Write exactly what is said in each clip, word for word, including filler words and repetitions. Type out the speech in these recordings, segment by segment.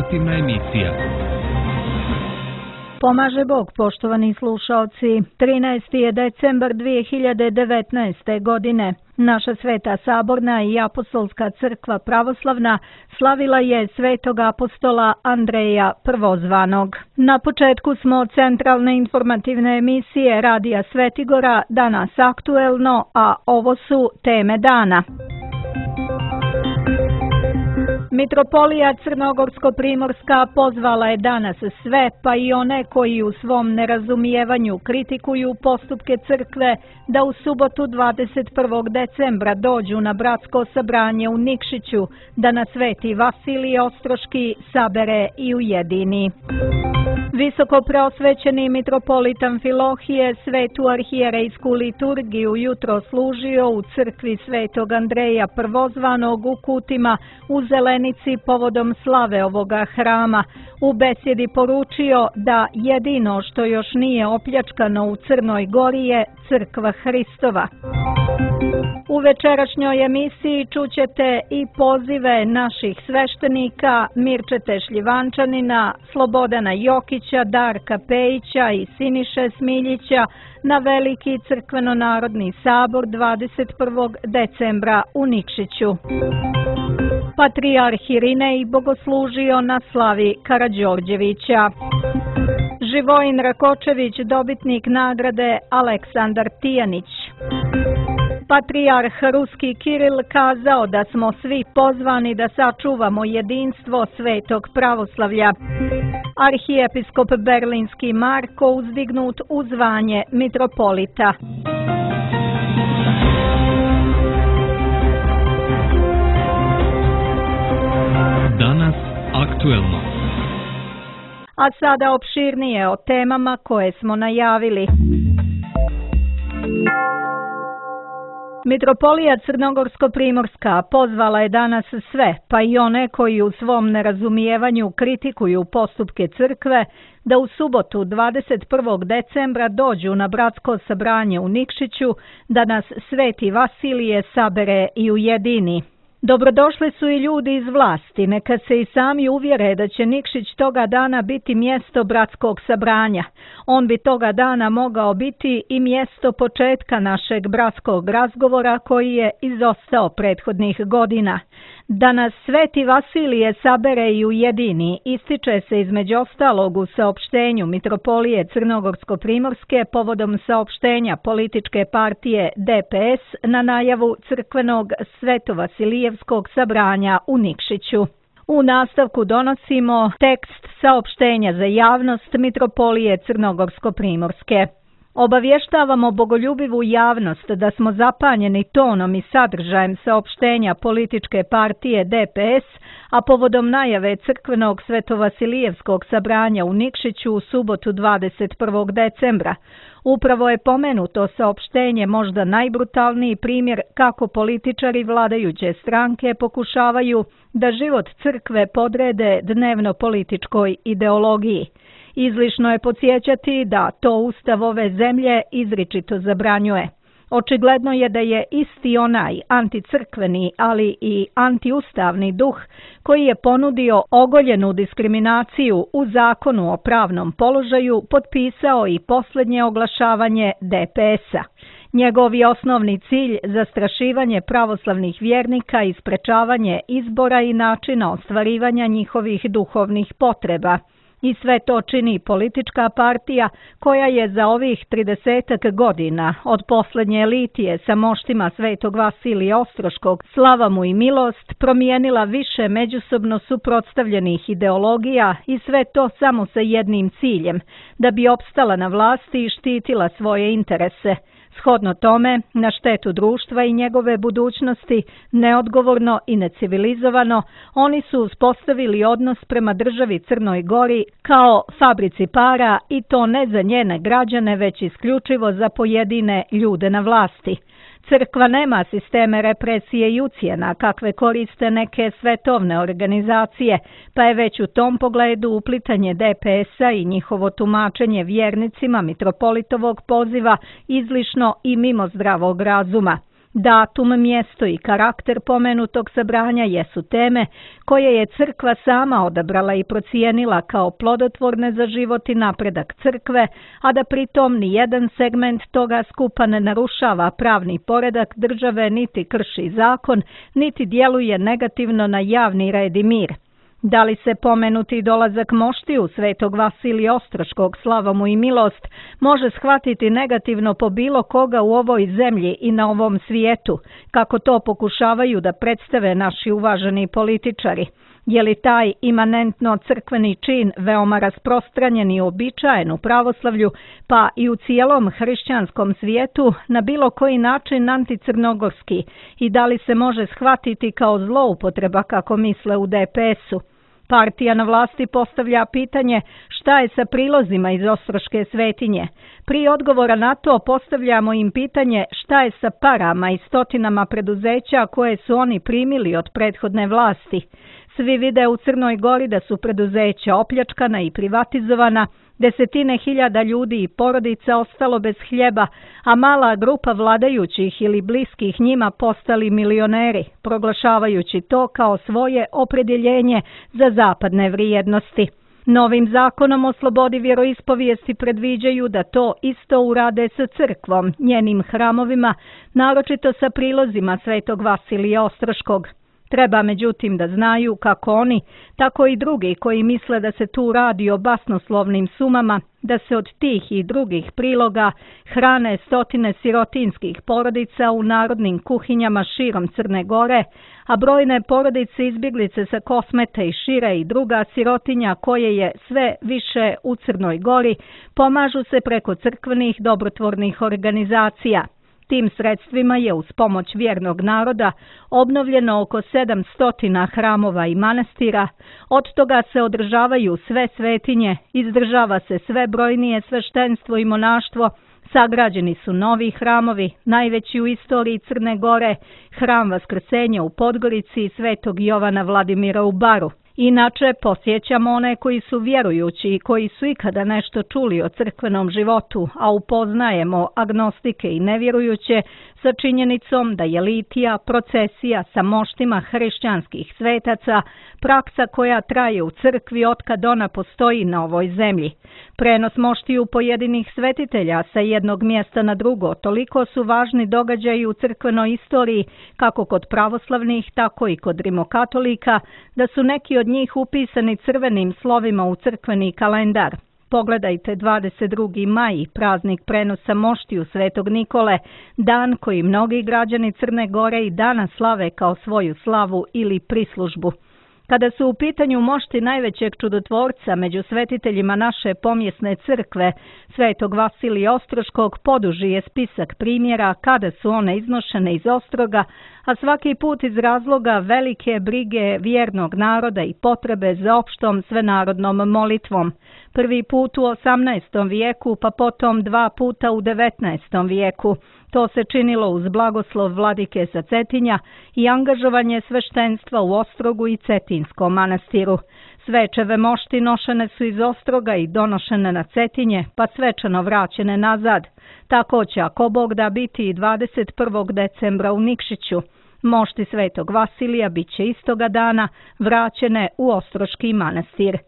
informativna emisija. Pomaže Bog, poštovani slušaoci. trinaesti je decembar dvije hiljade devetnaeste. godine. Naša Sveta Saborna i Apostolska crkva pravoslavna slavila je svetog apostola Andreja Prvozvanog. Na početku smo centralne informativne emisije Radija Svetigora, danas aktuelno, a ovo su teme dana. Mitropolija Crnogorsko-primorska pozvala je danas sve, pa i one koji u svom nerazumijevanju kritikuju postupke crkve, da u subotu dvadeset prvog decembra dođu na bratsko sabranje u Nikšiću, da na Sveti Vasilije Ostroški sabere i ujedini. Visoko preosvećeni mitropolit Amfilohije svetu arhijerejsku liturgiju jutro služio u crkvi svetog Andreja Prvozvanog u Kutima u Zelenici povodom slave ovoga hrama. U besjedi poručio da jedino što još nije opljačkano u Crnoj Gori je crkva Hristova. U večerašnjoj emisiji čućete i pozive naših sveštenika Mirčete Šljivančanina, Slobodana Jokića, Darka Pejića i Siniše Smiljića na veliki crkveno-narodni sabor dvadeset prvog decembra u Nikšiću. Patrijarh Irinej bogoslužio na slavi Karađorđevića. Živojin Rakočević dobitnik nagrade Aleksandar Tijanić. Patrijarh Ruski Kiril kazao da smo svi pozvani da sačuvamo jedinstvo svetog pravoslavlja. Arhijepiskop Berlinski Marko uzdignut u zvanje mitropolita. Danas aktuelno. A sada opširnije o temama koje smo najavili. Mitropolija Crnogorsko-primorska pozvala je danas sve, pa i one koji u svom nerazumijevanju kritikuju postupke crkve, da u subotu dvadeset prvog decembra dođu na bratsko sabranje u Nikšiću, da nas Sveti Vasilije sabere i ujedini. Dobrodošli su i ljudi iz vlasti, neka se i sami uvjere da će Nikšić toga dana biti mjesto bratskog sabranja. On bi toga dana mogao biti i mjesto početka našeg bratskog razgovora koji je izostao prethodnih godina. Da nas Sveti Vasilije sabere i ujedini ističe se između ostalog u saopštenju Mitropolije Crnogorsko-primorske povodom saopštenja političke partije D P S na najavu crkvenog Svetovasilijevskog sabranja u Nikšiću. U nastavku donosimo tekst saopštenja za javnost Mitropolije Crnogorsko-primorske. Obavještavamo bogoljubivu javnost da smo zapanjeni tonom i sadržajem saopštenja političke partije D P S, a povodom najave crkvenog Svetovasilijevskog sabranja u Nikšiću u subotu dvadeset prvog decembra. Upravo je pomenuto saopštenje možda najbrutalniji primjer kako političari vladajuće stranke pokušavaju da život crkve podrede dnevno političkoj ideologiji. Izlišno je podsjećati da to Ustav ove zemlje izričito zabranjuje. Očigledno je da je isti onaj anticrkveni, ali i antiustavni duh koji je ponudio ogoljenu diskriminaciju u zakonu o pravnom položaju potpisao i posljednje oglašavanje D P S-a. Njegov je osnovni cilj zastrašivanje pravoslavnih vjernika i sprečavanje izbora i načina ostvarivanja njihovih duhovnih potreba. I sve to čini politička partija koja je za ovih tridesetak godina od posljednje litije sa moštima svetog Vasilija Ostroškog, slava mu i milost, promijenila više međusobno suprotstavljenih ideologija i sve to samo sa jednim ciljem, da bi opstala na vlasti i štitila svoje interese. Shodno tome, na štetu društva i njegove budućnosti, neodgovorno i necivilizovano, oni su uspostavili odnos prema državi Crnoj Gori kao fabrici para i to ne za njene građane, već isključivo za pojedine ljude na vlasti. Crkva nema sisteme represije i ucjena kakve koriste neke svetovne organizacije, pa je već u tom pogledu uplitanje D P S-a i njihovo tumačenje vjernicima mitropolitovog poziva izlišno i mimo zdravog razuma. Datum, mjesto i karakter pomenutog sabranja jesu teme koje je crkva sama odabrala i procijenila kao plodotvorne za život i napredak crkve, a da pritom ni jedan segment toga skupa ne narušava pravni poredak države, niti krši zakon, niti djeluje negativno na javni red i mir. Da li se pomenuti dolazak moštiju Svetog Vasilija Ostroškog, slava mu i milost, može shvatiti negativno po bilo koga u ovoj zemlji i na ovom svijetu, kako to pokušavaju da predstave naši uvaženi političari? Je li taj imanentno crkveni čin veoma rasprostranjen i uobičajen u pravoslavlju, pa i u cijelom hrišćanskom svijetu, na bilo koji način anticrnogorski, i da li se može shvatiti kao zloupotreba, kako misle u D P S-u? Partija na vlasti postavlja pitanje šta je sa prilozima iz Ostroške svetinje. Prije odgovora na to postavljamo im pitanje šta je sa parama i stotinama preduzeća koje su oni primili od prethodne vlasti. Svi vide u Crnoj Gori da su preduzeća opljačkana i privatizovana, desetine hiljada ljudi i porodica ostalo bez hljeba, a mala grupa vladajućih ili bliskih njima postali milioneri, proglašavajući to kao svoje opredjeljenje za zapadne vrijednosti. Novim zakonom o slobodi vjeroispovijesti predviđaju da to isto urade sa crkvom, njenim hramovima, naročito sa prilozima Svetog Vasilija Ostroškog. Treba međutim da znaju kako oni, tako i drugi koji misle da se tu radi o basnoslovnim sumama, da se od tih i drugih priloga hrane stotine sirotinskih porodica u narodnim kuhinjama širom Crne Gore, a brojne porodice izbjeglice sa Kosmeta i šire i druga sirotinja koje je sve više u Crnoj Gori pomažu se preko crkvenih dobrotvornih organizacija. Tim sredstvima je uz pomoć vjernog naroda obnovljeno oko sedamsto hramova i manastira, od toga se održavaju sve svetinje, izdržava se sve brojnije sveštenstvo i monaštvo, sagrađeni su novi hramovi, najveći u istoriji Crne Gore, hram Vaskrsenja u Podgorici i Svetog Jovana Vladimira u Baru. Inače, posjećamo one koji su vjerujući i koji su ikada nešto čuli o crkvenom životu, a upoznajemo agnostike i nevjerujuće sa činjenicom da je litija, procesija sa moštima hrišćanskih svetaca praksa koja traje u crkvi otkad ona postoji na ovoj zemlji. Prenos moštiju pojedinih svetitelja sa jednog mjesta na drugo toliko su važni događaji u crkvenoj istoriji, kako kod pravoslavnih, tako i kod rimokatolika, da su neki od njih upisani crvenim slovima u crkveni kalendar. Pogledajte dvadeset drugi maj, praznik prenosa moštiju Svetog Nikole, dan koji mnogi građani Crne Gore i danas slave kao svoju slavu ili prislužbu. Kada su u pitanju mošti najvećeg čudotvorca među svetiteljima naše pomjesne crkve, Svetog Vasilija Ostroškog, poduži je spisak primjera kada su one iznošene iz Ostroga, a svaki put iz razloga velike brige vjernog naroda i potrebe za opštom svenarodnom molitvom. Prvi put u osamnaestom vijeku, pa potom dva puta u devetnaestom vijeku. To se činilo uz blagoslov vladike sa Cetinja i angažovanje sveštenstva u Ostrogu i Cetinskom manastiru. Svečeve mošti nošene su iz Ostroga i donošene na Cetinje, pa svečano vraćene nazad. Tako će, ako Bog da, biti i dvadeset prvog decembra u Nikšiću. Mošti Svetog Vasilija bit će istoga dana vraćene u Ostroški manastir.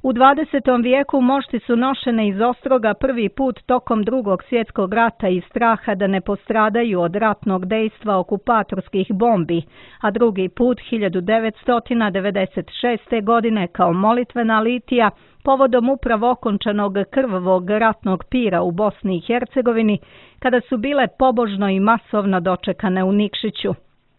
U dvadesetom vijeku mošti su nošene iz Ostroga prvi put tokom Drugog svjetskog rata iz straha da ne postradaju od ratnog dejstva okupatorskih bombi, a drugi put hiljadu devetsto devedeset šeste. godine kao molitvena litija povodom upravo okončanog krvavog ratnog pira u Bosni i Hercegovini, kada su bile pobožno i masovno dočekane u Nikšiću.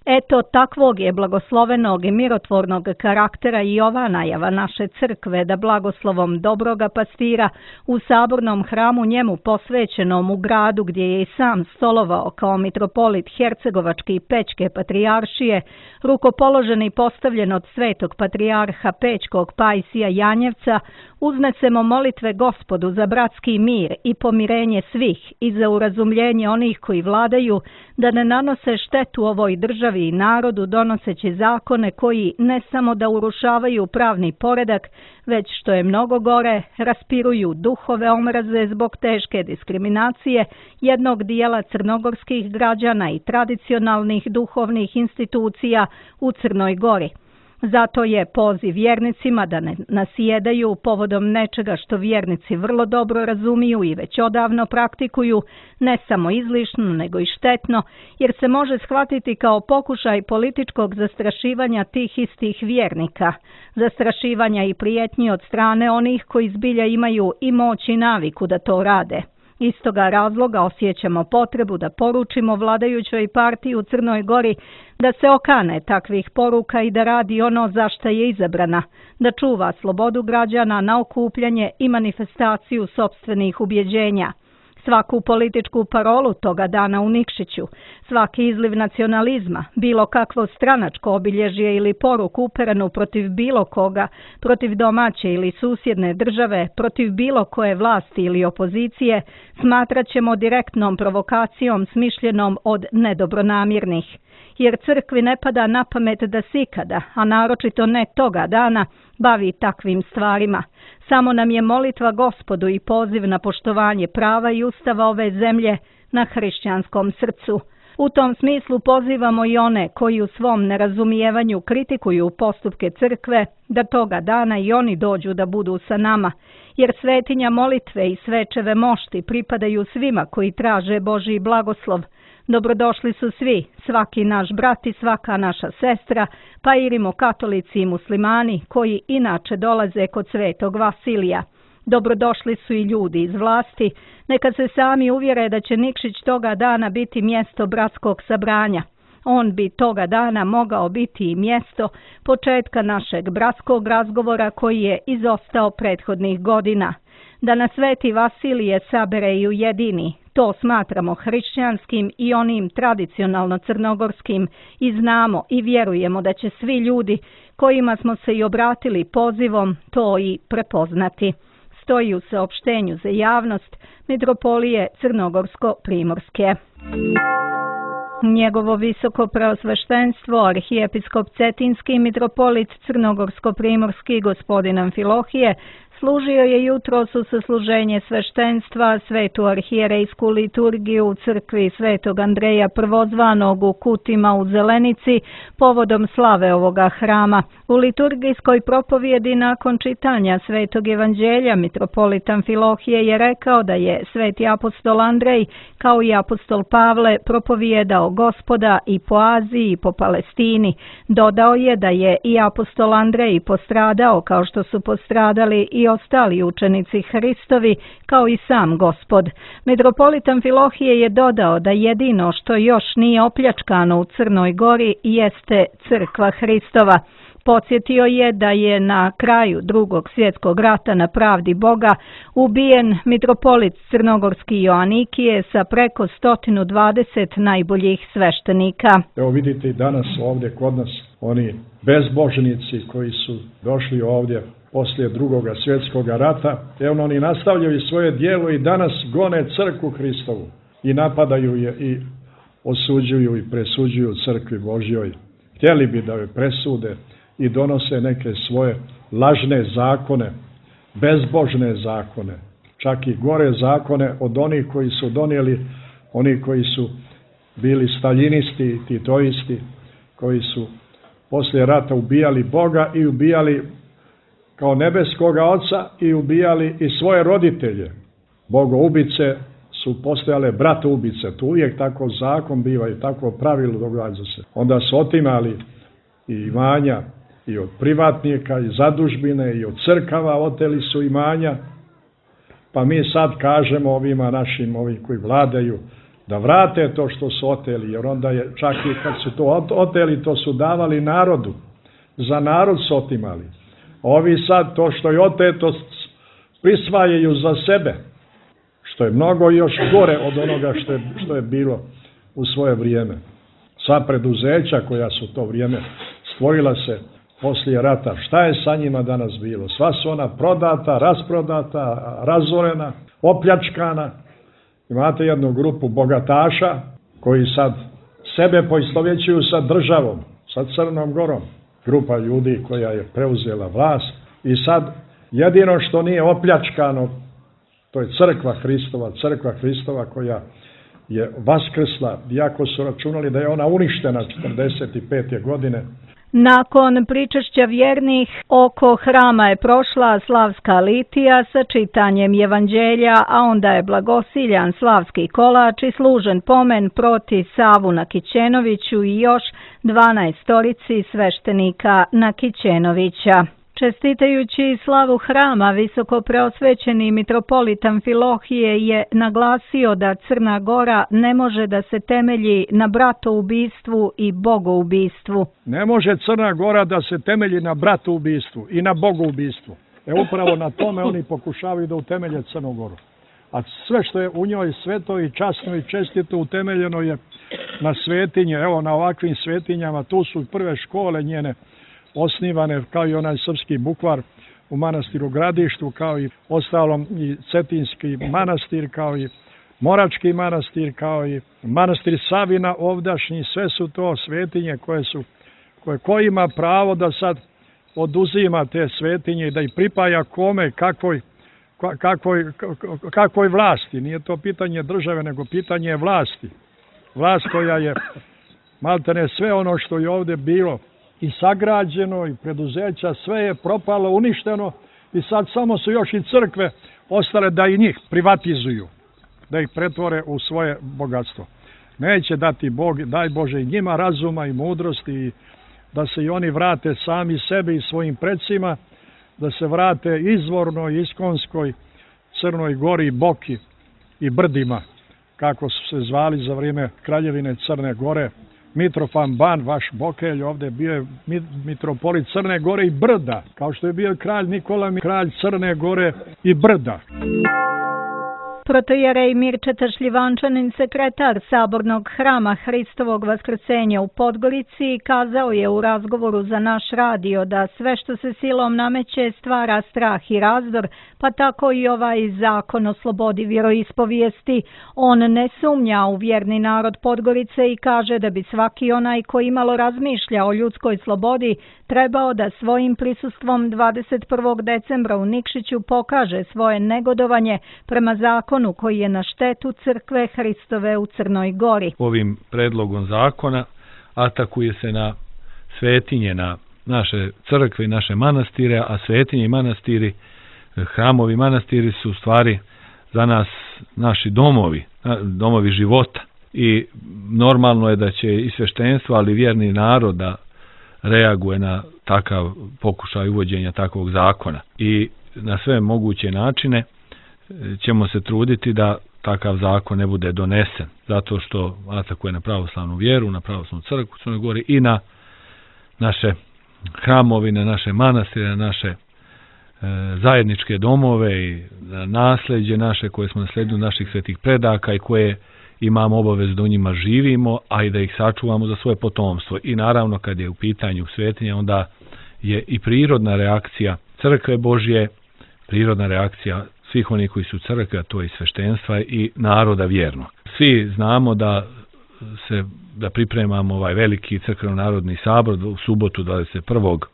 Eto, takvog je blagoslovenog i mirotvornog karaktera i ova najava naše crkve da blagoslovom dobroga pastira u sabornom hramu njemu posvećenom u gradu gdje je i sam stolovao kao mitropolit Hercegovačke i Pečke patrijaršije, rukopoložen i postavljen od svetog patrijarha Pečkog Pajsija Janjevca, uznesemo molitve Gospodu za bratski mir i pomirenje svih i za urazumljenje onih koji vladaju, da ne nanose štetu ovoj državi i narodu donoseći zakone koji ne samo da urušavaju pravni poredak, već što je mnogo gore, raspiruju duhove omraze zbog teške diskriminacije jednog dijela crnogorskih građana i tradicionalnih duhovnih institucija u Crnoj Gori. Zato je poziv vjernicima da ne nasjedaju povodom nečega što vjernici vrlo dobro razumiju i već odavno praktikuju, ne samo izlišno nego i štetno, jer se može shvatiti kao pokušaj političkog zastrašivanja tih istih vjernika, zastrašivanja i prijetnji od strane onih koji zbilja imaju i moć i naviku da to rade. Iz toga razloga osjećamo potrebu da poručimo vladajućoj partiji u Crnoj Gori da se okane takvih poruka i da radi ono za šta je izabrana, da čuva slobodu građana na okupljanje i manifestaciju sopstvenih ubjeđenja. Svaku političku parolu toga dana u Nikšiću, svaki izliv nacionalizma, bilo kakvo stranačko obilježje ili poruku uperenu protiv bilo koga, protiv domaće ili susjedne države, protiv bilo koje vlasti ili opozicije, smatrat ćemo direktnom provokacijom smišljenom od nedobronamjernih. Jer crkvi ne pada na pamet da se ikada, a naročito ne toga dana, bavi takvim stvarima. Samo nam je molitva Gospodu i poziv na poštovanje prava i ustava ove zemlje na hrišćanskom srcu. U tom smislu pozivamo i one koji u svom nerazumijevanju kritikuju postupke crkve, da toga dana i oni dođu da budu sa nama, jer svetinja molitve i svečeve mošti pripadaju svima koji traže Božji blagoslov. Dobrodošli su svi, svaki naš brat i svaka naša sestra, pa i rimokatolici i muslimani koji inače dolaze kod svetog Vasilija. Dobrodošli su i ljudi iz vlasti, neka se sami uvjere da će Nikšić toga dana biti mjesto bratskog sabranja. On bi toga dana mogao biti i mjesto početka našeg bratskog razgovora koji je izostao prethodnih godina. Da nas sveti Vasilije sabere i ujedini, to smatramo hrišćanskim i onim tradicionalno crnogorskim i znamo i vjerujemo da će svi ljudi kojima smo se i obratili pozivom to i prepoznati. Stoji u saopštenju za javnost Mitropolije Crnogorsko-Primorske. Njegovo visoko preosveštenstvo, arhijepiskop Cetinski mitropolit Crnogorsko-Primorski gospodin Amfilohije, služio je jutros u sasluženje sveštenstva svetu arhijerejsku liturgiju u crkvi svetog Andreja Prvozvanog u Kutima u Zelenici povodom slave ovoga hrama. U liturgijskoj propovjedi nakon čitanja svetog evanđelja mitropolit Amfilohije je rekao da je sveti apostol Andrej kao i apostol Pavle propovijedao Gospoda i po Aziji i po Palestini. Dodao je da je i apostol Andrej postradao kao što su postradali i ostali učenici Hristovi, kao i sam Gospod. Mitropolit Amfilohije je dodao da jedino što još nije opljačkano u Crnoj Gori jeste crkva Hristova. Podsjetio je da je na kraju Drugog svjetskog rata na pravdi Boga ubijen mitropolit Crnogorski Joanikije sa preko sto dvadeset najboljih sveštenika. Evo vidite i danas ovdje kod nas oni bezbožnici koji su došli ovdje poslije Drugog svjetskog rata, evo oni nastavljaju svoje djelo i danas gone crkvu Hristovu i napadaju je i osuđuju i presuđuju crkvi Božjoj. Htjeli bi da joj presude i donose neke svoje lažne zakone, bezbožne zakone, čak i gore zakone od onih koji su donijeli, oni koji su bili staljinisti i titoisti, koji su poslije rata ubijali Boga i ubijali kao nebeskoga oca i ubijali i svoje roditelje. Bogoubice su postojale bratoubice, tu uvijek tako zakon biva i tako pravilo događa se. Onda su otimali i imanja i od privatnika i zadužbine i od crkava oteli su imanja, pa mi sad kažemo ovima našim, ovim koji vladaju, da vrate to što su oteli, jer onda je čak i kad su to oteli, to su davali narodu, za narod su otimali. Ovi sad to što je oteto prisvajaju za sebe, što je mnogo još gore od onoga što je, što je bilo u svoje vrijeme. Sva preduzeća koja su to vrijeme stvorila se poslije rata. Šta je sa njima danas bilo? Sva su ona prodata, rasprodata, razorena, opljačkana. Imate jednu grupu bogataša koji sad sebe poistovjećuju sa državom, sa Crnom Gorom. Grupa ljudi koja je preuzela vlast i sad jedino što nije opljačkano, to je crkva Hristova, crkva Hristova koja je vaskrsla, iako su računali da je ona uništena četrdeset pete godine. Nakon pričešća vjernih oko hrama je prošla slavska litija sa čitanjem evanđelja, a onda je blagosiljan slavski kolač i služen pomen proti Savu Nakićenoviću i još dvanaestorici sveštenika Nakićenovića. Čestitajući slavu hrama, visoko preosvećeni mitropolit Amfilohije je naglasio da Crna Gora ne može da se temelji na bratoubistvu i bogoubistvu. Ne može Crna Gora da se temelji na bratoubistvu i na bogoubistvu. E upravo na tome oni pokušavaju da utemelje Crnu Goru. A sve što je u njoj sveto i časno i čestito utemeljeno je na svetinje. Evo na ovakvim svetinjama, tu su prve škole njene osnivane, kao i onaj srpski bukvar u manastiru Gradištu, kao i ostalom i Cetinski manastir, kao i Morački manastir, kao i manastir Savina ovdašnji. Sve su to svetinje koje su, koje ko ima pravo da sad oduzima te svetinje i da ih pripaja kome, kakvoj, kakvoj, kakvoj vlasti. Nije to pitanje države, nego pitanje vlasti. Vlast koja je maltene sve ono što je ovdje bilo i sagrađeno i preduzeća, sve je propalo, uništeno i sad samo su još i crkve ostale da i njih privatizuju, da ih pretvore u svoje bogatstvo. Neće dati Bog, daj Bože i njima razuma i mudrosti i da se i oni vrate sami sebi i svojim predsima, da se vrate izvornoj, iskonskoj Crnoj Gori, Boki i Brdima, kako su se zvali za vrijeme kraljevine Crne Gore. Mitrofan Ban, vaš Bokelj, ovdje bio je mitropolit Crne Gore i Brda, kao što je bio kralj Nikola, kralj Crne Gore i Brda. Protojerej Mirčeta Šljivančanin, sekretar Sabornog hrama Hristovog vaskrsenja u Podgorici, kazao je u razgovoru za naš radio da sve što se silom nameće stvara strah i razdor, pa tako i ovaj zakon o slobodi vjeroispovijesti. On ne sumnja u vjerni narod Podgorice i kaže da bi svaki onaj koji imalo razmišlja o ljudskoj slobodi trebao da svojim prisustvom dvadeset prvog decembra u Nikšiću pokaže svoje negodovanje prema zakonu koji je na štetu crkve Hristove u Crnoj Gori. Ovim predlogom zakona atakuje se na svetinje, na naše crkve i naše manastire, a svetinje i manastiri, hramovi manastiri su u stvari za nas naši domovi, domovi života. I normalno je da će i sveštenstvo, ali vjerni narod da reaguje na takav pokušaj uvođenja takvog zakona. I na sve moguće načine ćemo se truditi da takav zakon ne bude donesen, zato što atakuje na pravoslavnu vjeru, na pravoslavnu crkvu u Crnoj Gori i na naše hramovi, na naše manastire, na naše e, zajedničke domove i na nasljeđe naše koje smo naslijedili naših svetih predaka i koje imamo obavezu da u njima živimo, a i da ih sačuvamo za svoje potomstvo. I naravno kad je u pitanju svetinja, onda je i prirodna reakcija crkve Božje, prirodna reakcija svih onih koji su crkve, a to je i sveštenstva i naroda vjernog. Svi znamo da se da pripremamo ovaj veliki crkveno-narodni sabor u subotu dvadeset prvog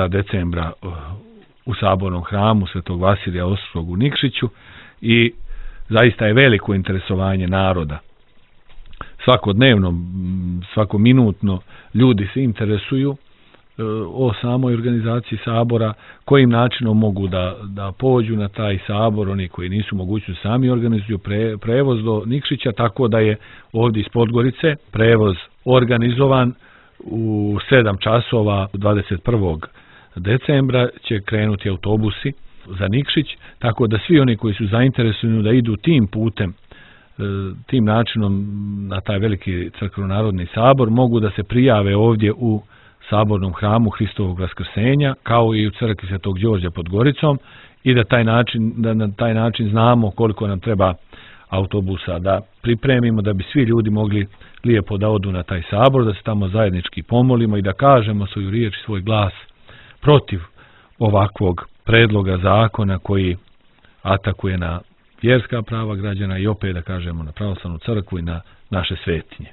decembra u sabornom hramu Svetog Vasilija Ostrog u Nikšiću i zaista je veliko interesovanje naroda. Svakodnevno, svakominutno ljudi se interesuju o samoj organizaciji sabora, kojim načinom mogu da, da pođu na taj sabor, oni koji nisu mogući sami organizuju pre, prevoz do Nikšića, tako da je ovdje iz Podgorice prevoz organizovan u sedam časova dvadeset prvog decembra će krenuti autobusi za Nikšić, tako da svi oni koji su zainteresovani da idu tim putem, tim načinom na taj veliki crkveno-narodni sabor, mogu da se prijave ovdje u sabornom hramu Hristovog vaskrsenja, kao i u crkvi Svetog Đorđa pod Goricom, i da taj način, da na taj način znamo koliko nam treba autobusa da pripremimo da bi svi ljudi mogli lijepo da odu na taj sabor, da se tamo zajednički pomolimo i da kažemo svoju riječ i svoj glas protiv ovakvog predloga zakona koji atakuje na vjerska prava građana i opet da kažemo na pravoslavnu crkvu i na naše svetinje.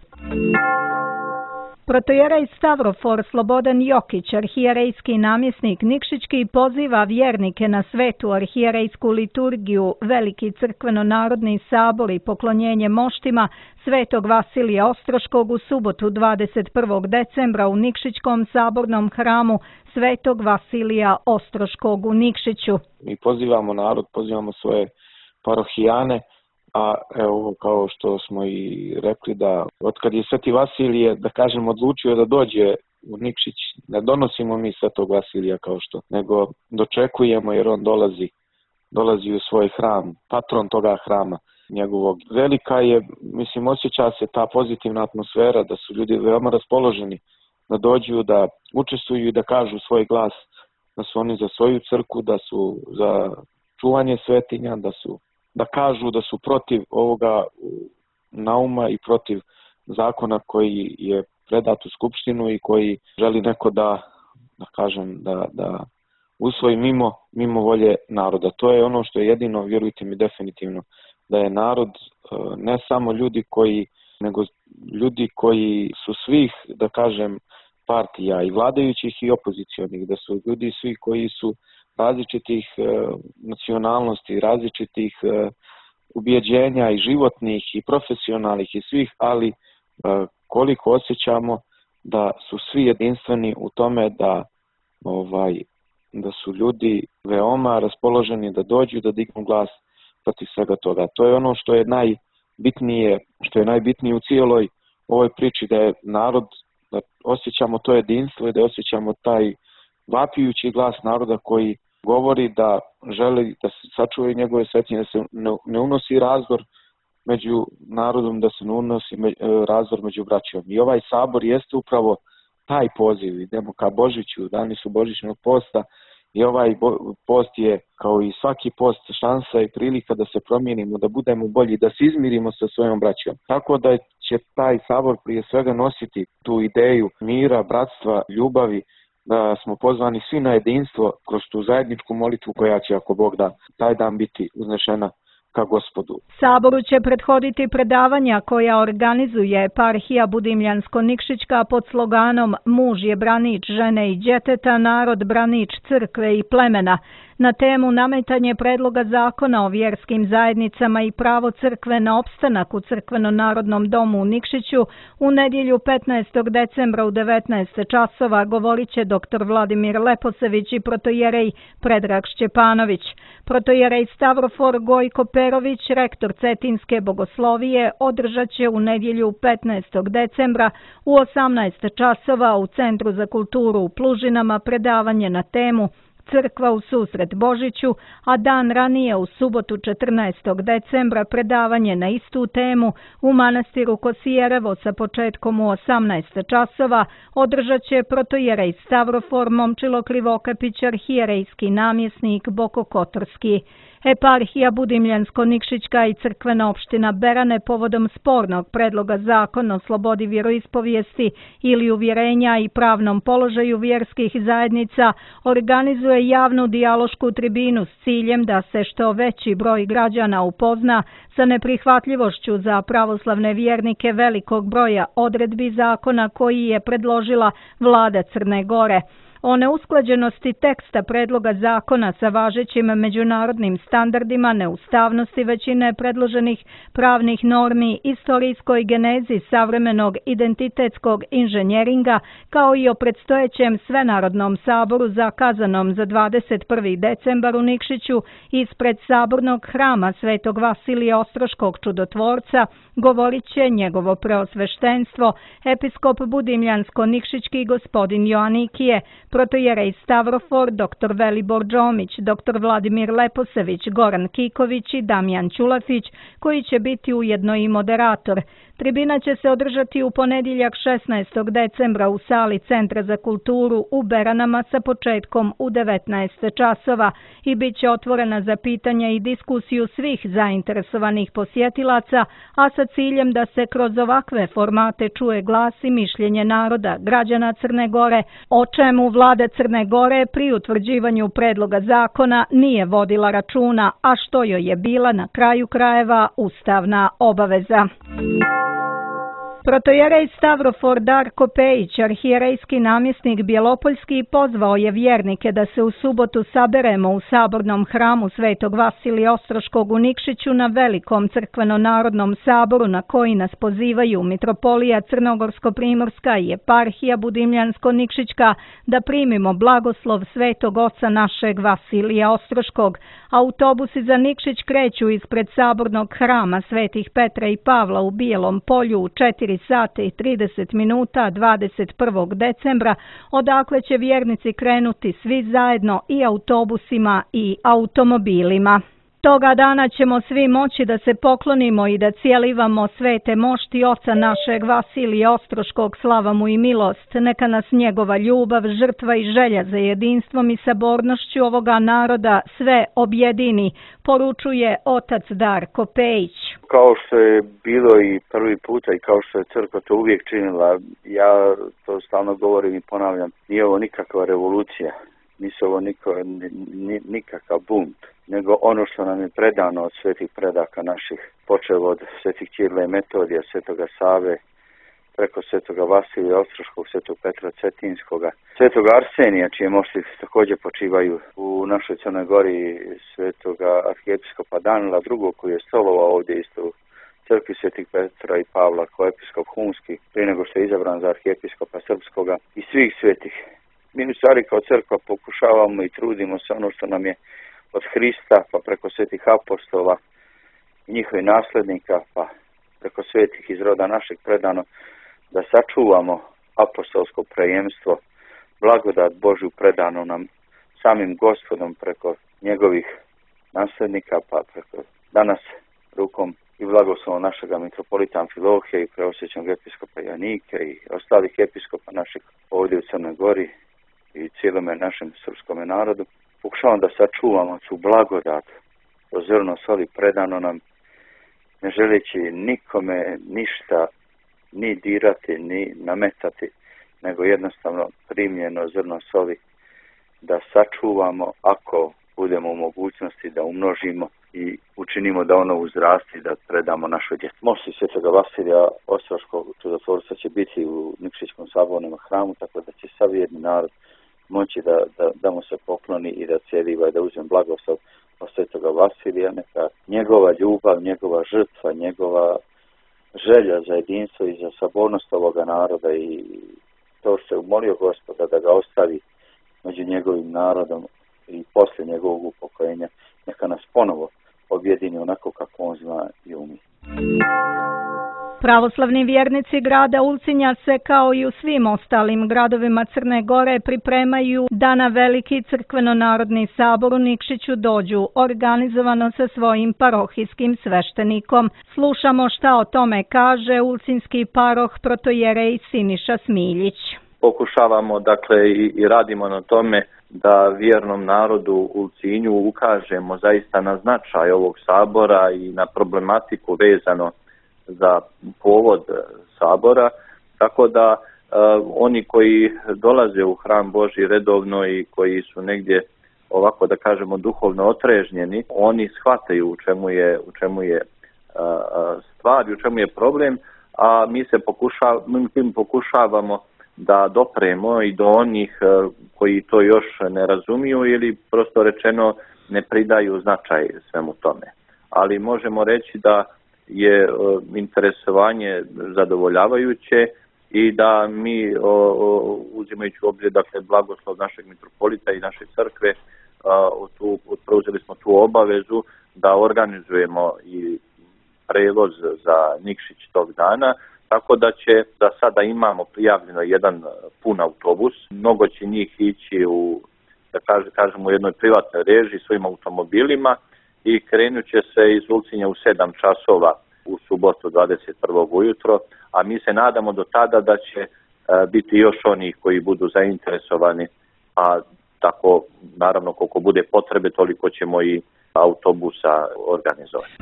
Protojerej Stavrofor Slobodan Jokić, arhijerejski namjesnik Nikšićki, poziva vjernike na svetu arhijerejsku liturgiju, veliki crkveno-narodni sabor i poklonjenje moštima Svetog Vasilija Ostroškog u subotu dvadeset prvog decembra u Nikšićkom sabornom hramu Svetog Vasilija Ostroškog u Nikšiću. Mi pozivamo narod, pozivamo svoje parohijane, a evo kao što smo i rekli da otkad je Sveti Vasilije, da kažem, odlučio da dođe u Nikšić, ne donosimo mi Svetog Vasilija kao što, nego dočekujemo jer on dolazi, dolazi u svoj hram, patron toga hrama njegovog. Velika je, mislim, osjeća se ta pozitivna atmosfera, da su ljudi veoma raspoloženi da dođu, da učestvuju i da kažu svoj glas, da su oni za svoju crkvu, da su za čuvanje svetinja, da su da kažu da su protiv ovoga nauma i protiv zakona koji je predat u Skupštinu i koji želi neko da, da kažem, da, da usvoji mimo, mimo volje naroda. To je ono što je jedino, vjerujte mi, definitivno, da je narod ne samo ljudi koji, nego ljudi koji su svih, da kažem, partija i vladajućih i opozicionih, da su ljudi svi koji su različitih e, nacionalnosti, različitih e, ubjeđenja i životnih i profesionalnih i svih, ali e, koliko osjećamo da su svi jedinstveni u tome da ovaj da su ljudi veoma raspoloženi da dođu da dignu glas protiv svega toga. To je ono što je najbitnije, što je najbitnije u cijeloj ovoj priči, da je narod, da osjećamo to jedinstvo i da osjećamo taj vapijući glas naroda koji govori da želi da se sačuvaju njegove svetinje, da se ne unosi razdor među narodom, da se ne unosi razdor među braćom. I ovaj sabor jeste upravo taj poziv. Idemo ka Božiću, dani su Božićnog posta i ovaj post je, kao i svaki post, šansa i prilika da se promijenimo, da budemo bolji, da se izmirimo sa svojom braćom. Tako da će taj sabor prije svega nositi tu ideju mira, bratstva, ljubavi, da smo pozvani svi na jedinstvo kroz tu zajedničku molitvu koja će, ako Bog da, taj dan biti uznešena ka Gospodu. Saboru će prethoditi predavanja koja organizuje eparhija Budimljansko-Nikšićka pod sloganom Muž je branič žene i djeteta, narod branič crkve i plemena, na temu nametanje predloga zakona o vjerskim zajednicama i pravo crkve na opstanak u crkveno-narodnom domu u Nikšiću. U nedjelju petnaestog decembra u devetnaest časova govorit će doktor Vladimir Leposević i protojerej Predrag Šćepanović. Protojerej Stavrofor Gojko Perović, rektor Cetinske bogoslovije, održat će u nedjelju petnaestog decembra u osamnaest časova u Centru za kulturu u Plužinama predavanje na temu Crkva u susret Božiću, a dan ranije u subotu četrnaestog decembra predavanje na istu temu u manastiru Kosijerevo sa početkom u osamnaest časova održat će protojerej Stavrofor Momčilo Krivokapić, arhijerejski namjesnik Boko Kotorski. Eparhija Budimljansko-Nikšićka i crkvena opština Berane povodom spornog predloga zakona o slobodi vjeroispovijesti ili uvjerenja i pravnom položaju vjerskih zajednica organizuje javnu dijalošku tribinu s ciljem da se što veći broj građana upozna sa neprihvatljivošću za pravoslavne vjernike velikog broja odredbi zakona koji je predložila vlada Crne Gore. O neusklađenosti teksta predloga zakona sa važećim međunarodnim standardima, neustavnosti većine predloženih pravnih normi, istorijskoj genezi savremenog identitetskog inženjeringa, kao i o predstojećem svenarodnom saboru zakazanom za dvadeset prvi decembar u Nikšiću ispred sabornog hrama Svetog Vasilija Ostroškog čudotvorca, govorit će njegovo preosveštenstvo, episkop Budimljansko-Nikšićki gospodin Joanikije, protojerej Stavrofor, doktor Velibor Džomić, doktor Vladimir Leposević, Goran Kiković i Damjan Ćulafić, koji će biti ujedno i moderator. Tribina će se održati u ponedjeljak šesnaestog decembra u sali Centra za kulturu u Beranama sa početkom u devetnaest časova i bit će otvorena za pitanja i diskusiju svih zainteresovanih posjetilaca, a sa ciljem da se kroz ovakve formate čuje glas i mišljenje naroda, građana Crne Gore, o čemu vlada Crne Gore pri utvrđivanju predloga zakona nije vodila računa, a što joj je bila na kraju krajeva ustavna obaveza. Protojerej Stavrofor Darko Pejić, arhijerejski namjesnik Bjelopoljski, pozvao je vjernike da se u subotu saberemo u sabornom hramu Svetog Vasilija Ostroškog u Nikšiću na velikom crkveno-narodnom saboru na koji nas pozivaju mitropolija Crnogorsko-primorska i eparhija Budimljansko-Nikšićka da primimo blagoslov Svetog Oca našeg Vasilija Ostroškog. Autobusi za Nikšić kreću ispred sabornog hrama Svetih Petra i Pavla u Bijelom Polju u četiri sata i trideset minuta dvadeset prvog decembra, odakle će vjernici krenuti svi zajedno i autobusima i automobilima. Toga dana ćemo svi moći da se poklonimo i da cijelivamo svete mošti oca našeg Vasilija Ostroškog, slava mu i milost. Neka nas njegova ljubav, žrtva i želja za jedinstvom i sabornošću ovoga naroda sve objedini, poručuje otac Darko Pejić. Kao što je bilo i prvi puta i kao što je crkva to uvijek činila, ja to stalno govorim i ponavljam, nije ovo nikakva revolucija, nisu ovo nikakav bunt, nego ono što nam je predano od svetih predaka naših, počev od svetih Ćirila i Metodija, svetoga Save, preko svetoga Vasilija Ostroškog, svetog Petra Cetinskoga, svetoga Arsenija, čije mošti također počivaju u našoj Crnoj Gori, svetoga arhijepiskopa Danila drugog, koji je stolovao ovdje isto u crkvi svetih Petra i Pavla kao episkop humski, prije nego što je izabran za arhijepiskopa srpskoga i svih svetih. Mi u stvari kao crkva pokušavamo i trudimo se ono što nam je od Hrista, pa preko svetih apostola i njihovih nasljednika, pa preko svetih iz roda našeg predano, da sačuvamo apostolsko prejemstvo, blagodat Božju predano nam samim Gospodom preko njegovih nasljednika, pa preko danas rukom i blagoslovom našega mitropolita Amfilohija i preosvećenog episkopa Janike i ostalih episkopa našeg ovdje u Crnoj Gori i cijelome našem srpskome narodu. Pokušavamo da sačuvamo tu blagodat, to zrno soli predano nam, ne želeći nikome ništa ni dirati, ni nametati, nego jednostavno primljeno zrno soli da sačuvamo ako budemo u mogućnosti da umnožimo i učinimo da ono uzrasti, da predamo našoj djeci. Mošti svetoga Vasilija Ostroškog čudotvorca će biti u Nikšićkom sabornom hramu, tako da će sav jedni narod moći da, da, da mu se pokloni i da cijeliva i da uzem blagoslov od svetoga Vasilija. Neka njegova ljubav, njegova žrtva, njegova želja za jedinstvo i za sabornost ovoga naroda i to što je umolio Gospoda da ga ostavi među njegovim narodom i poslije njegovog upokojenja, neka nas ponovo objedini onako kako on zna i umije. Pravoslavni vjernici grada Ulcinja se kao i u svim ostalim gradovima Crne Gore pripremaju da na veliki crkveno-narodni sabor u Nikšiću dođu organizovano sa svojim parohijskim sveštenikom. Slušamo šta o tome kaže ulcinski paroh protojerej Siniša Smiljić. Pokušavamo dakle i, i radimo na tome da vjernom narodu u Ulcinju ukažemo zaista na značaj ovog sabora i na problematiku vezano za povod sabora, tako da uh, oni koji dolaze u hram Božji redovno i koji su negdje ovako da kažemo duhovno otrežnjeni, oni shvataju u čemu je, u čemu je uh, stvar i u čemu je problem, a mi se pokušav, mi pokušavamo da dopremo i do onih uh, koji to još ne razumiju ili prosto rečeno ne pridaju značaj svemu tome. Ali možemo reći da je uh, interesovanje zadovoljavajuće i da mi uh, uh, uzimajući u obzir dakle blagoslov našeg mitropolita i naše crkve uh, tu, preuzeli smo tu obavezu da organizujemo i prevoz za Nikšić tog dana, tako da će da sada imamo prijavljeno jedan pun autobus, mnogo će njih ići u da kaže, kažemo u jednoj privatnoj režiji svojim automobilima i krenut će se iz Ulcinja u sedam časova u subotu dvadeset prvog ujutro, a mi se nadamo do tada da će biti još onih koji budu zainteresovani, a tako naravno koliko bude potrebe toliko ćemo i autobusa organizovati.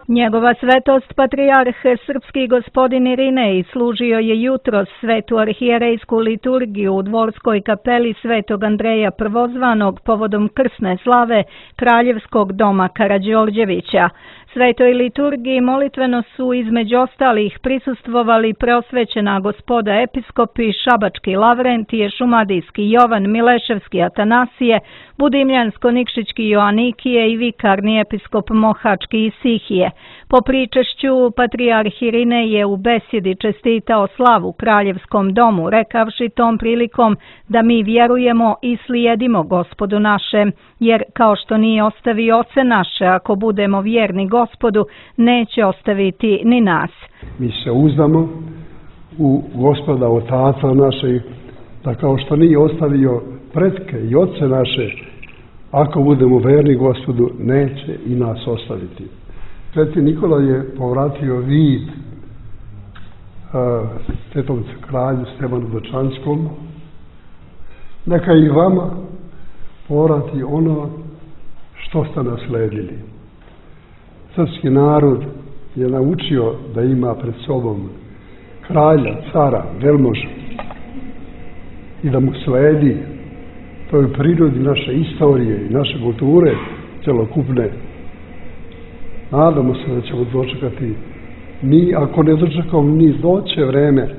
Njegova svetost patrijarh srpski gospodin Irinej služio je jutros svetu arhijerejsku liturgiju u dvorskoj kapeli Svetog Andreja Prvozvanog povodom krsne slave Kraljevskog doma Karađorđevića. Svetoj liturgiji molitveno su između ostalih prisustvovali preosvećena gospoda episkopi Šabački Lavrentije, Šumadijski Jovan, Mileševski Atanasije, Budimljansko-Nikšićki Joanikije i vikarni episkop Mohački Isihije. Po pričešću patrijarh Irinej je u besjedi čestitao slavu Kraljevskom domu, rekavši tom prilikom da mi vjerujemo i slijedimo Gospodu našem, jer kao što nije ostavio oce naše, ako budemo vjerni Gospodu, neće ostaviti ni nas. Mi se uzdamo u Gospoda Otaca našeg, da kao što nije ostavio pretke i oce naše, ako budemo verni Gospodu, neće i nas ostaviti. Sveti Nikola je povratio vid uh, svetom kralju Stefanu Dočanskom. Neka i vama povrati ono što ste nasledili. Srpski narod je naučio da ima pred sobom kralja, cara, velmoža i da mu sledi. To je u prirodi naše istorije i naše kulture celokupne. Nadamo se da ćemo dočekati mi, ako ne dočekamo ni doće vreme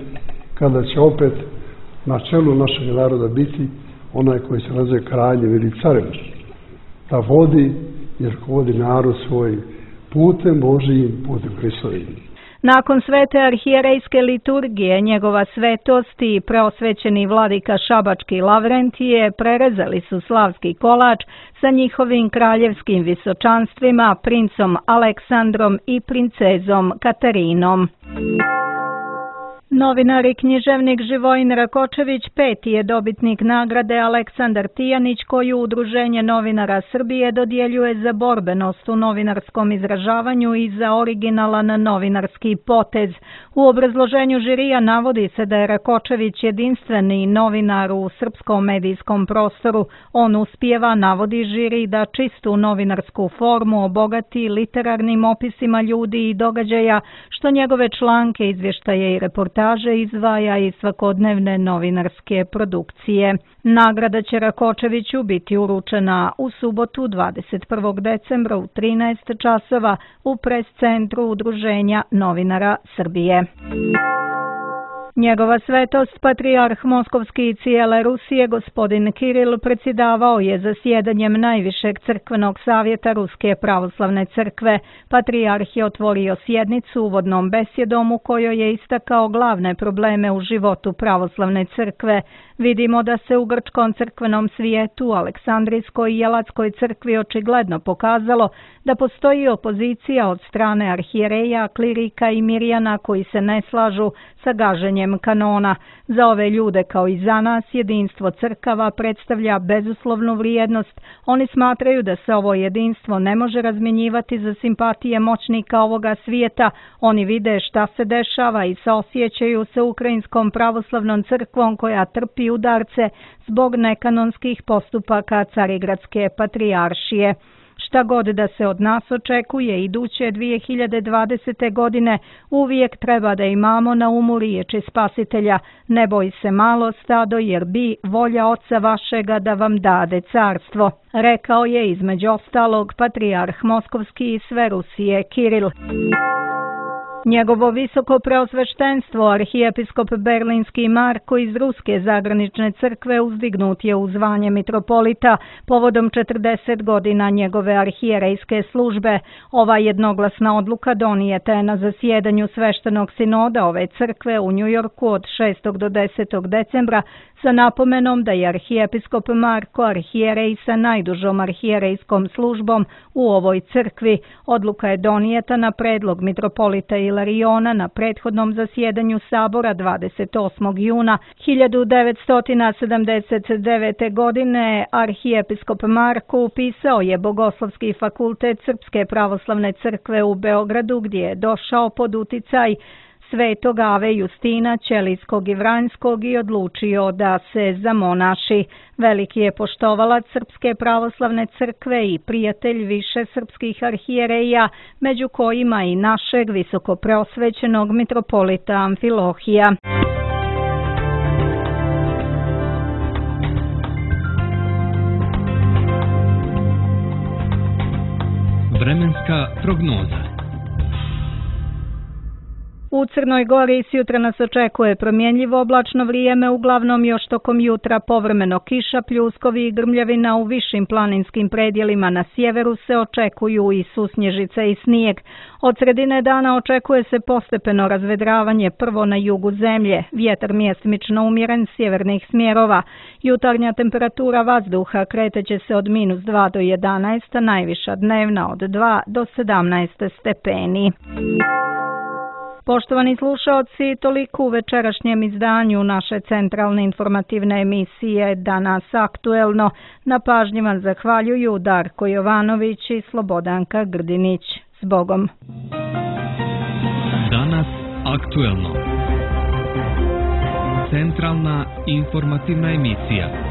kada će opet na čelu našeg naroda biti onaj koji se naziva kraljem ili carem, da vodi, jer vodi narod svoj putem Božijim, putem Hristovim. Nakon svete arhijerejske liturgije, njegova svetost i preosvećeni vladika Šabački Lavrentije prerezali su slavski kolač sa njihovim kraljevskim visočanstvima, princom Aleksandrom i princezom Katarinom. Novinar i književnik Živojin Rakočević peti je dobitnik nagrade Aleksandar Tijanić, koju Udruženje novinara Srbije dodjeljuje za borbenost u novinarskom izražavanju i za originalan novinarski potez. U obrazloženju žirija navodi se da je Rakočević jedinstveni novinar u srpskom medijskom prostoru. On uspijeva, navodi žiri, da čistu novinarsku formu obogati literarnim opisima ljudi i događaja, što njegove članke, izvještaje i reportaže izdvaja iz svakodnevne novinarske produkcije. Nagrada će Rakočeviću biti uručena u subotu dvadeset prvog decembra u trinaest časova u pres centru Udruženja novinara Srbije. Njegova svetost, patrijarh Moskovski i cijele Rusije, gospodin Kiril, predsjedavao je zasjedanjem najvišeg crkvenog savjeta Ruske pravoslavne crkve. Patrijarh je otvorio sjednicu uvodnom besjedom u kojoj je istakao glavne probleme u životu pravoslavne crkve. Vidimo da se u grčkom crkvenom svijetu, Aleksandrijskoj i Jelatskoj crkvi očigledno pokazalo da postoji opozicija od strane arhijereja, klirika i mirjana koji se ne slažu sa gaženjem kanona. Za ove ljude kao i za nas jedinstvo crkava predstavlja bezuslovnu vrijednost. Oni smatraju da se ovo jedinstvo ne može razmjenjivati za simpatije moćnika ovoga svijeta. Oni vide šta se dešava i saosjećaju se Ukrajinskom pravoslavnom crkvom koja trpi udarce zbog nekanonskih postupaka Carigradske patrijaršije. Šta god da se od nas očekuje iduće dvije hiljade dvadesete. godine, uvijek treba da imamo na umu riječi Spasitelja: ne boj se malo stado, jer bi volja Oca vašega da vam dade carstvo. Rekao je između ostalog patrijarh Moskovski i sve Rusije Kiril. Njegovo visoko preosveštenstvo, arhijepiskop Berlinski Marko iz Ruske zagranične crkve, uzdignut je u zvanje mitropolita povodom četrdeset godina njegove arhijerejske službe. Ova jednoglasna odluka donijeta je na zasjedanju sveštenog sinoda ove crkve u Njujorku od šestog do desetog decembra sa napomenom da je arhijepiskop Marko arhijerej sa najdužom arhijerejskom službom u ovoj crkvi. Odluka je donijeta na predlog mitropolita Ilariona na prethodnom zasjedanju sabora dvadeset osmog juna hiljadu devetsto sedamdeset devete. godine. Arhijepiskop Marko upisao je Bogoslovski fakultet Srpske pravoslavne crkve u Beogradu, gdje je došao pod uticaj Svetog Ave Justina Ćelijskog i Vranjskog i odlučio da se zamonaši. Veliki je poštovalac Srpske pravoslavne crkve i prijatelj više srpskih arhijereja, među kojima i našeg visokopreosvećenog mitropolita Amfilohija. Vremenska prognoza. U Crnoj Gori sjutra nas očekuje promjenjivo oblačno vrijeme, uglavnom još tokom jutra povremeno kiša, pljuskovi i grmljavina. U višim planinskim predjelima na sjeveru se očekuju i susnježice i snijeg. Od sredine dana očekuje se postepeno razvedravanje, prvo na jugu zemlje, vjetar mjestimično umjeren sjevernih smjerova. Jutarnja temperatura vazduha kreteće se od minus dva do jedanaest, a najviša dnevna od dva do sedamnaest stepeni. Poštovani slušaoci, toliko u večerašnjem izdanju naše centralne informativne emisije Danas aktuelno. Na pažnji vam zahvaljuju Darko Jovanović i Slobodanka Grdinić. Zbogom. Danas aktuelno. Centralna informativna emisija.